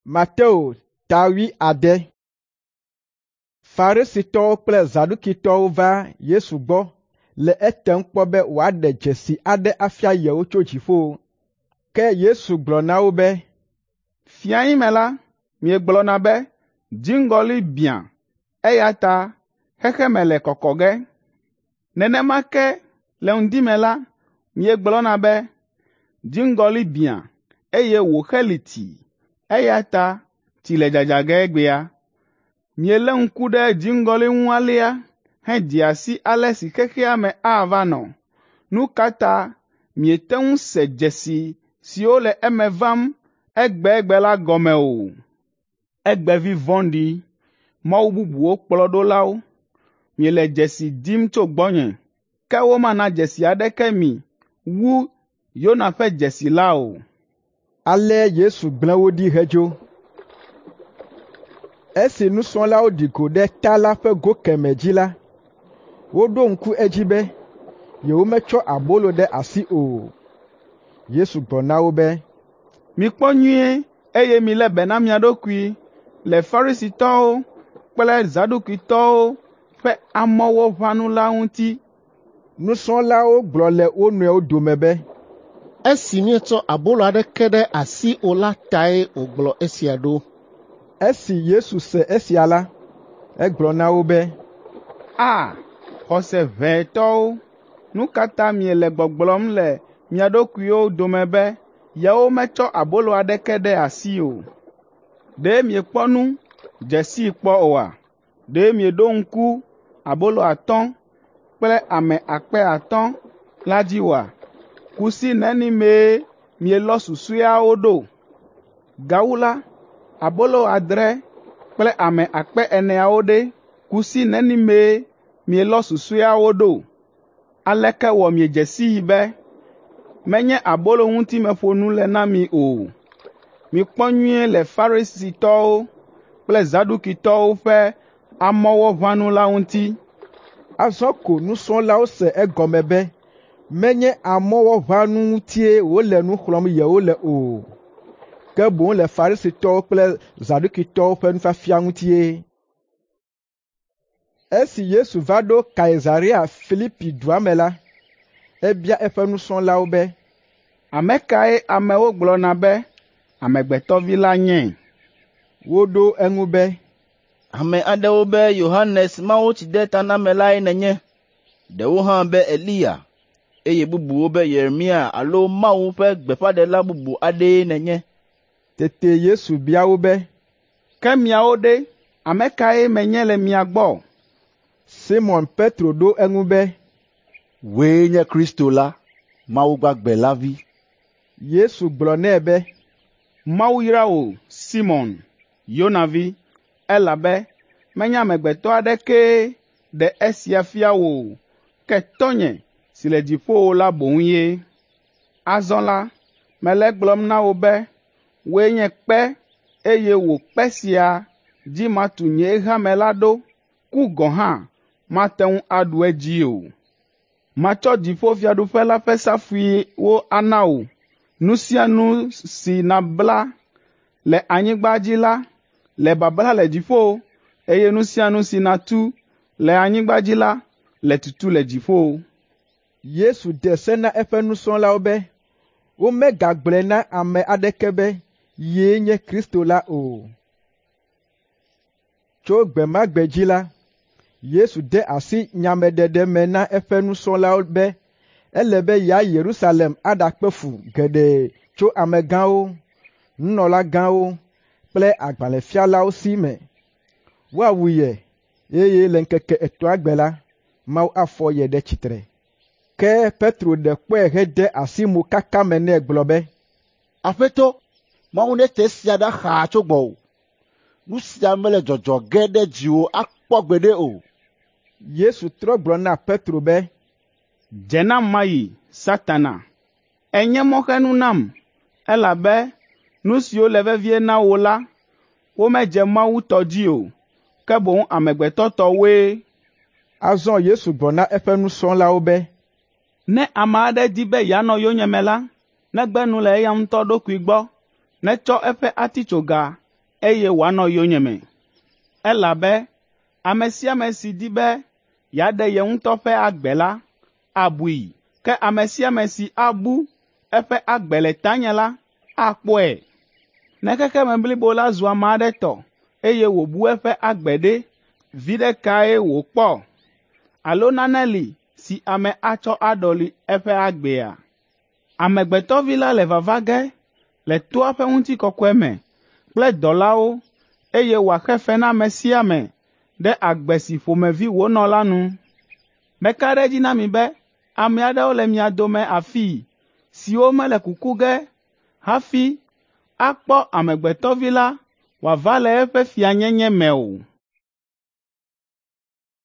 Mateo ta 7. Farisitɔwo kple Zadukitɔwo va Yesu gbɔ le etem kpɔ be wòaɖe dzesi aɖe afia yewo tso dziƒo. Ke Yesu gblɔ na wo be, “Fiae me la, miegblɔna be, ‘Dziŋgɔli biã, eya ta xexeme le kɔkɔ ge.’ Nenema ke le ŋdi me la, miegblɔna be, ‘Dziŋgɔli biã, eye wòxeli tii, eya ta tsi le dzadza ge egbea.’ Mielé ŋku ɖe dziŋgɔli ŋu alea hedzea si ale si xexea me ava nɔ. Nu ka ta miete ŋu se dzesi siwo le eme vam egbegbe la gɔme o? Egbevi vɔ̃ɖi, mawu bubuwo kplɔɖolawo, miele dzesi dim tso gbɔnye, ke womana dzesi aɖeke mi wu Yona ƒe dzesi la o.” Ale Yesu gblẽ wo ɖi hedzo. Esi nusrɔ̃lawo ɖi go ɖe ta la ƒe go kemɛ dzi la, woɖo ŋku edzi be yewometsɔ abolo ɖe asi o. Yesu gblɔ na wo be, “Mikpɔ nyuie, eye milé be na mia ɖokui le Farisitɔwo kple Zadukitɔwo ƒe amɔwɔʋãnu la ŋuti.” Nusrɔ̃lawo gblɔ le wo nɔewo dome be, “Esi míetsɔ abolo aɖeke ɖe asi o la tae wògblɔ esia ɖo.” Esi Yesu se esia la, egblɔ na wo be, “A, xɔse ʋɛ tɔwo, nu ka ta miele gbɔgblɔm le mia ɖokuiwo dome be yewometsɔ abolo aɖeke ɖe asi o? Ɖe miekpɔ nu dze sii kpɔ oa? Ɖe mieɖo ŋku abolo 5 kple ame 5,000 la dzi oa? Kusi neni mee mielɔ susɔeawo ɖo? Gawu la, abolo 6 kple ame 4,000 ɖe, kusi neni mee mielɔ susɔeawo ɖo? Aleke wɔ miedze sii be menye abolo ŋuti meƒo nu le na mi o? Mikpɔ nyuie le Farisitɔwo kple Zadukitɔwo ƒe amɔwɔʋãnu la ŋuti.” Azɔ ko nusrɔ̃lawo se egɔme be menye amɔwɔʋãnu ŋutie wòle nu xlɔ̃m yewo le o, ke boŋ le Farisitɔwo kple Zadukitɔwo ƒe nufiafia ŋutie. Esi Yesu va ɖo Kaesarea Filipi dua me la, ebia eƒe nusrɔ̃lawo be, “Ame kae amewo gblɔna be Amegbetɔ Vi la nye?” Woɖo eŋu be, “Ame aɖewo be Yohanes Mawutsidetanamelae nènye, ɖewo hã be Eliya, eye bubuwo be Yeremia alo Mawu ƒe gbeƒãɖela bubu aɖee nènye.” Tete Yesu bia wo be, “Ke miawo ɖe, ame kae menye le mia gbɔ?” Simɔn Petro ɖo eŋu be, “Wòe nye Kristo la, Mawu gbagbe la Vi.” Yesu gblɔ nɛ be, “Mawu yra wò, Simɔn, Yona vi, elabe menye amegbetɔ aɖekee ɖe esia fia wò o, ke Tɔ́nye si le dziƒowo la boŋ ye. Azɔ la, mele egblɔm na wò be wòe nye kpe, eye wò kpe sia dzi matu nye hame la ɖo, ku gɔ̃ hã mate ŋu aɖu edzi o. Matsɔ dziƒofiaɖuƒe la ƒe safuiwo ana wò. Nu sia nu si nabla le anyigba dzi la le babla le dziƒo, eye nu sia nu si nàtu le anyigba dzi la le tutu le dziƒo.” Yesu de se na eƒe nusrɔ̃lawo be womegagblɔe na ame aɖeke be yee nye Kristo la o. Tso gbe ma gbe dzi la, Yesu de asi nyameɖeɖe me na eƒe nusrɔ̃lawo be ele be yeayi Yerusalem aɖakpe fu geɖe tso amegãwo, nunɔlagãwo kple agbalẽfialawo si me. Woawu ye, eye le ŋkeke etɔ̃a gbe la, Mawu afɔ ye ɖe tsitre. Ke Petro ɖe kpɔe hede asi mokaka me nɛ gblɔ be, “Aƒetɔ, Mawu nete esia ɖa xaa tso gbɔwò. Nu sia mele dzɔdzɔ ge ɖe dziwò akpɔ gbeɖe o.” Yesu trɔ gblɔ na Petro be, “Dze nam mayi, Satana! Ènye mɔxenu nam, elabe nu siwo le vevie na wò la, womedze Mawu tɔ dzi o, ke boŋ amegbetɔ tɔwoe.” Azɔ Yesu gblɔ na eƒe nusrɔ̃lawo be, “Ne ame aɖe di be yeanɔ yonyeme la, negbe nu le eya ŋutɔ ɖokui gbɔ, netsɔ eƒe atitsoga, eye wòanɔ yonyeme. Elabe ame sia ame si di be yeaɖe ye ŋutɔ ƒe agbe la, abui, ke ame sia ame si abu eƒe agbe le tanye la, akpɔe. Ne xexeme blibo la zu ame aɖe tɔ, eye wòbu eƒe agbe ɖe, viɖe kae wòkpɔ? Alo nane li si ame atsɔ aɖɔli eƒe agbea? Amegbetɔvi la le vava ge le toa ƒe ŋutikɔkɔe me kple dɔlawo eye wòaxe fe na ame sia ame ɖe agbe si ƒomevi wònɔ la nu. Meka ɖe edzi na mi be ame aɖewo le mia dome afii siwo mele kuku ge hafi akpɔ Amegbetɔvi la wòava le eƒe fianyenye me o.”